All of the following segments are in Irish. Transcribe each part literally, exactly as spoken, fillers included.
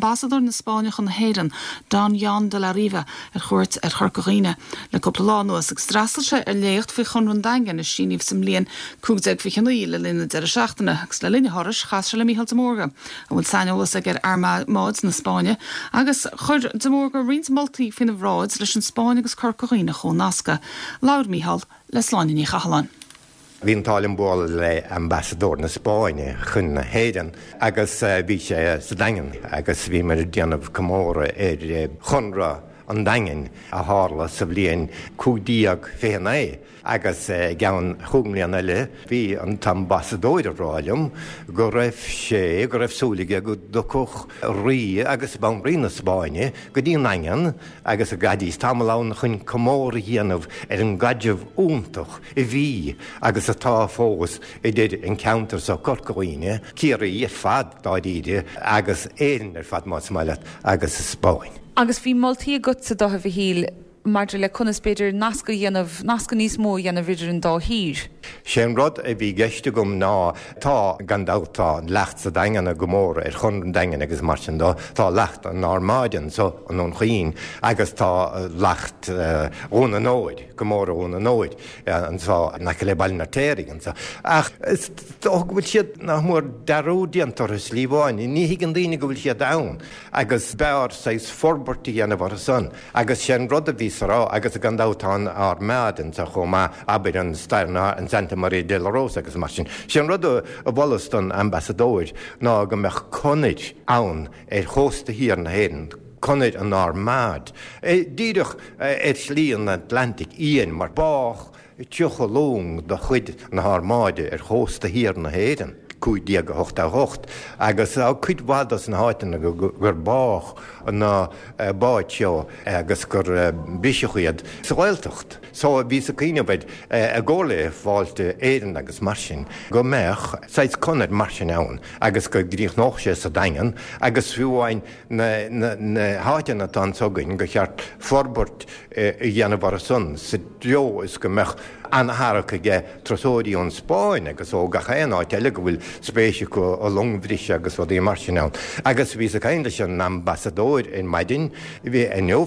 Ambasadóir na Spáinne chun na hÉireann, Don Juan de la Riva ar chuairt ar Chorca Dhuibhne le cúpla lá anuas agus d'fhreastail sé ar léacht faoi Chonradh an Daingin a síníodh sa mbliain cúig déag fiche naoi le linn na deireadh seachtaine agus le linn a thurais chas sé le Mícheál de Mórdha a bhfuil saineolas aige ar armáid na Spáinne agus chuir de Mórdha roinnt moltaí faoina bhráid leis an Spáinn agus Corca Dhuibhne a chomhnascadh. Labhair Mícheál le Sláine Ní Chathalláin. Bhí an t-ádh liom bualadh le ambasadóir na Spáinne chun na hÉireann agus bhí sé sa Daingean agus bhíomar ag déanamh comóradh ar Chonradh an Daingin a tharla sa bhliain cúig déag fiche naoi agus i gceann chúig mbliana eile bhí an t-ambasadóir ag rá liom go raibh sé go raibh súil aige go dtiocfadh rí agus banríon na Spáinne go dtí an Daingean agus go gcaithfidís tamall ann chun comóradh a dhéanamh ar an gcaidreamh iontach a bhí agus atá fós idir an ceantar seo Corca Dhuibhne, Ciarraí ar fad dáiríre agus Éirinn ar fad más maith leat agus Spáinn. Agus bhí moltaí agatsa do a Mhichíl maidir le conas b'fhéidir nasc a dhéanamh nasc níos mó a dhéanamh idir an dá thír. Sé an rud a bhí i gceist agam ná tá gan dabht tá leacht sa Daingean go mór ar Chonradh an Daingin agus mar sin de tá leacht an Armáid anseo i nDún Chaoin agus tá leacht Dhún an Óir go mór Dhún an Óir anseo in aice le Baile an Fheirtéaraigh anseo. Ach go bhfuil siad nach mór dearúd déanta orthu slí amháin, ní thuigeann daoine go bhfuil siad ann agus b'fhearr saghas forbairt a dhéanamh orthu san agus sé an rud a bhí sa rá agus gan dabht tá an armáid anseo chomh maith abair an stair an Santa Maria de la Rosa agus mar sin. Sé an rud a mholas don ambasadóir ná go mbeadh conair ann ar chósta thiar na hÉireann, conair an armáid. Díreach ar shlí an Atlantic Fhiáin mar bádh tríocha long de chuid na harmáide ar chósta thiar na hÉireann. cúig déag a hocht a hocht agus cuid mhaith dos na háiteanna gur bádh na báid seo agus gur briseadh iad sa Ghaeltacht. So bhíos ag cuimhneamh air i gcomhar le Fáilte Éireann agus mar sin go mbeadh saghas conair mar sin ann agus go gcríochnódh sé sa Daingean agus fiú amháin na, na, na háiteanna atá anseo againn gur cheart forbairt a dhéanamh orthu san sa treo is go mbeadh an-tharrac aige turasóirí ón Spáinn agus ó gach aon áit eile go bhfuil spéis acu i longbhriseadh agus rudaí mar sin ann. Agus bhíos ag caint leis an ambasadóir ar maidin bhí inniu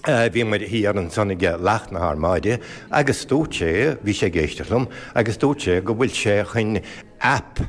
bhí muid thiar ansan ag leacht na harmáide agus dúirt sé bhí sé ag éisteacht liom agus dúirt sé go bhfuil sé chun app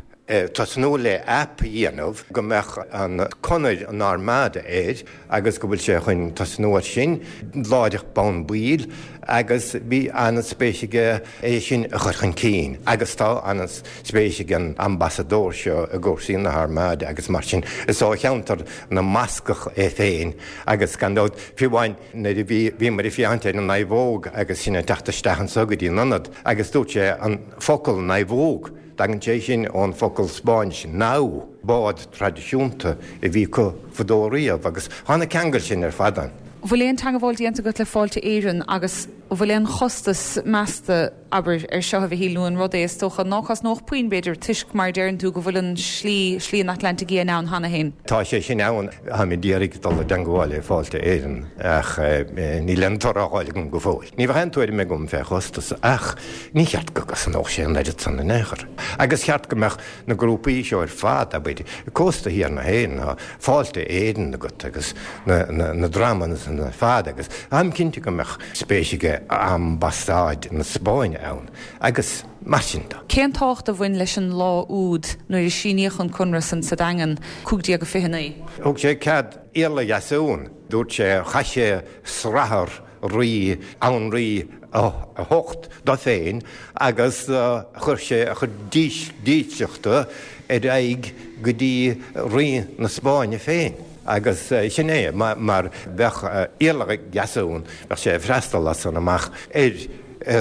tosnú le app a dhéanamh go mbeadh an conair an armáide air agus go bhfuil sé chun tosnú ar sin láithreach bonn baill agus bhí an-spéis aige é sin a chur chun cinn agus tá an-spéis ag an ambasadóir seo i gcúrsaí na harmáide agus mar sin is ó cheantar na mBascach é féin agus gan dabht fiú amháin nuair a bhí bhíomar ag féachaint ar an naomhóg agus sin ag teacht isteach anseo go dtí an ionad agus dúirt sé an focal naomhóg Tagann sé sin ón focal Spáinnis nao, bád traidisiúnta a bhí acu fadó riamh agus tá na ceangail sin ar fad ann. Bhfuil aon teagmháil déanta agat le Fáilte Éireann agus bhfuil aon chostas measta abair ar seo a Mhichíl nó an rud é is dócha ná cosnódh puinn b'fhéidir toisc mar deireann tú go bhfuil an slí slí an Atlantaigh Fhiáin ann cheana féin. Tá sé sin ann táim ag iarraidh dul i dteagmháil le Fáilte Éireann ach níl aon toradh á fháil agam go fóill. Ní bheadh aon tuairim agam fé chostas ach ní cheart go gcosnódh sé an oiread san in aon chor. Agus cheart go mbeadh na grúpaí seo ar fad abair cósta thiar na hÉireann tá Fáilte Éireann agat agus na, na, na dreamanna san ar fad agus táim cinnte go mbeadh spéis aige ambasáid na Spáinne ann agus mar sin de. Cén tábhacht a bhain leis an lá úd nuair a síníodh an conradh san sa Daingean cúig déag a fiche naoi? Thug sé cead Iarla Dheasumhan, dúirt sé, chaith sé srathar rí Anraí a hocht dó féin agus chuir sé a chuid dílseachta ar aghaidh go dtí rí na Spáinne féin. Agus sin é, mar bheadh Iarla Dheasumhan, bheadh sé ag freastal as san amach ar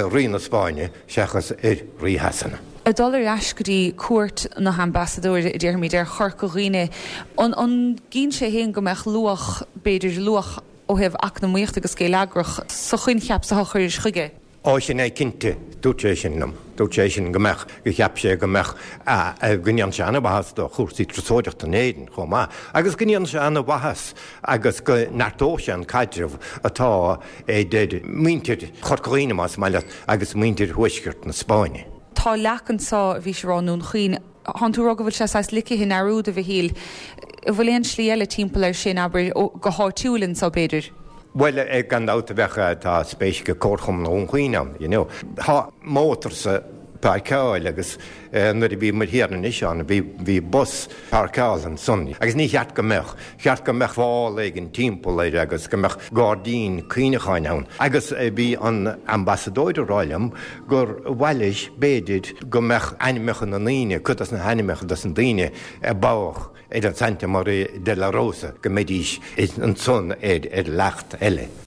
rí na Spáinne seachas ar rí Shasana. Ag dul ar ais go dtí cuairt na hambasadóire a déarfaimid ar Chorca Dhuibhne, an an gcinn sé féin go mbeadh luach, b'fhéidir luach ó thaobh eacnamaíochta agus geilleagrach sa choincheap sa chur chuige? Ó sin é cinnte, dúirt sé sin liom. Dúirt sé sin go mbeadh, go cheap sé go mbeadh, go ndéanfadh sé an-mhaitheas do chúrsaí turasóireachta in Éirinn chomh maith agus go ndéanfadh sé an-mhaitheas agus go neartódh sé an caidreamh atá idir muintir Chorca Dhuibhne, más maith leat, agus muintir thuaisceart na Spáinne. Tá leac anseo a bhí sé rá i nDún Chaoin. Tánn tú ag rá go bhfuil sé saghas ligthe i ndearúd, a Mhichíl. An bhfuil aon slí eile timpeall air sin, abair, go háitiúil anso b'fhéidir? Bhuel, gan dabht a bheadh, tá spéis ag Comharchumann Dhún Chaoin ann, you know. Tá mótar sa páirceáil agus nuair a bhí muid thiar anois ann, bhí, bhí bus páirceáilte ansan agus ní cheart go mbeadh, cheart go mbeadh fál éigin timpeall air agus go mbeadh gairdín cuimhneacháin ann. Agus bhí an ambasadóir ag rá liom gur mhaith leis, b'fhéidir, go mbeadh ainmneacha na ndaoine, cuid dos na hainmneacha dos na daoine a bádh ar an Santa Maria de la Rosa, go mbeidís ansan ar, ar leacht eile.